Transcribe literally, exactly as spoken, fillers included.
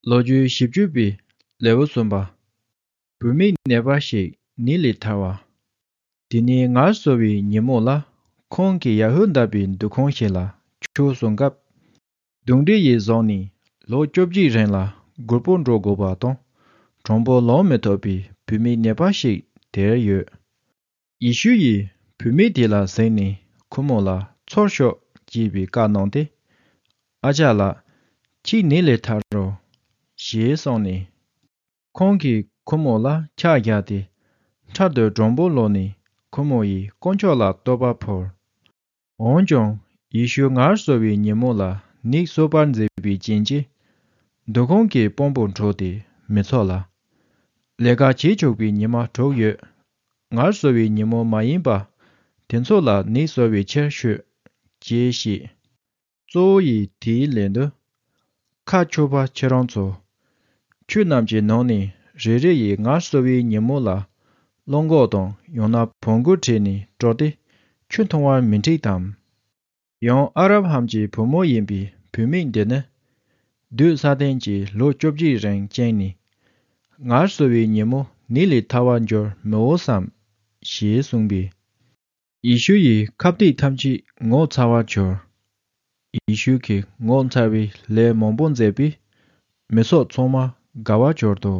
ལོ་རྒྱུས་བཞི་བཅུ་པའི་ལེའུ་གསུམ་པ། བུད་མེད་ནད་པ་ཞིག་ནད་ལས་ཐར་བ། དེ་ནས་ངལ་གསོ་བའི་ཉིན་མོ་ལ། ཁོང་གིས་ཡ་ཧུ་དཱ་པའི་འདུ་ཁང་ཞིག་ལ་ཆོས་གསུང་སྐབས། གདོན་འདྲེ་ཡིས་བཟུང་ནས་ལོ་བཅོ་བརྒྱད་རིང་ལ་སྒུར་པོ་འགྲོ་དགོས་པ་དང་། གྲོང་པོ་ལོག་མི་ཐུབ་པའི་བུད་མེད་ནད་པ་ཞིག་དེར་ཡོད། ཡེ་ཤུ་ཡིས་བུད་མེད་དེ་ལ་གཟིགས་ནས་ཁོ་མོ་ལ་ཚུར་ཤོག་ཅེས་པའི་བཀའ་གནང་སྟེ། ཨ་ཅག་ལགས། ཁྱེད་ནད་ལས་ཐར་རོ། ཞེས་གསུངས་ནས། ཁོང་གིས་ཁོ་མོ་ལ་ཕྱག་བརྒྱབ་སྟེ། འཕྲལ་དུ་གྲོང་པོ་ལོག་ནས་ཁོ་མོ་ཡིས་དཀོན་མཆོག་ལ་བསྟོད་པ་ཕུལ། འོན་ཀྱང་ཡེ་ཤུ་ངལ་གསོ་བའི་ཉིན་མོ་ལ་ནད་གསོ་བར་མཛད་པའི་རྐྱེན་གྱིས། འདུ་ཁང་གི་དཔང་པོ་འཁྲུགས་ཏེ་མི་ཚུགས་ལ། ལས་ཀ་བྱེད་ཆོག་པའི་ཉི་མ་དྲུག་ཡོད། ངལ་གསོ་བའི་ཉིན་མོ་མ་ཡིན་པ། དེ་ཚོ་ལ་ནད་གསོ་བའི་ཕྱིར་ཤོག་ཅེས་བཤད། གཙོ་བོ་ཡིས་དེའི་ལན་དུ། ཁ་ཕྱོགས་པ་ཁྱེད་རང་ཚོ། ཁྱོད་རྣམས་ཀྱི་ནང་ནས་རེ་རེ་ཡིས་ངལ་གསོ་བའི་ཉིན་མོ་ལ། གླང་གོག་དང་ཡང་ན་བོང་གུ་ཁྲིད་ནས་དཀྲོགས་ཏེ་ཁྱོད་མཐོང་བར་མི་འགྲིག་དམ། ཡང་ཨ་རབ་ཧམ་གྱི་བུ་མོ་ཡིན་པའི་བུད་མེད་འདི་ནི། བདུད་ས་ཏན་གྱིས་ལོ་བཅོ་བརྒྱད་རིང་བཅིངས་ནས། ངལ་གསོ་བའི་ཉིན་མོ་ནད་ལས་ཐར་བར་འགྱུར་མི་འོས་སམ། ཞེས་གསུངས་པས། ཡེ་ཤུ་ཡིས་ཁ་གཏད་ཐམས་ཅད་ངོ་ཚ་བར་གྱུར། ཡེ་ཤུ་གིས་ངོ་མཚར་བའི་ལས་མང་པོ་མཛད་པས། མི་ཚོགས་ཚང་མ་དགའ་བར་གྱུར་ཏོ།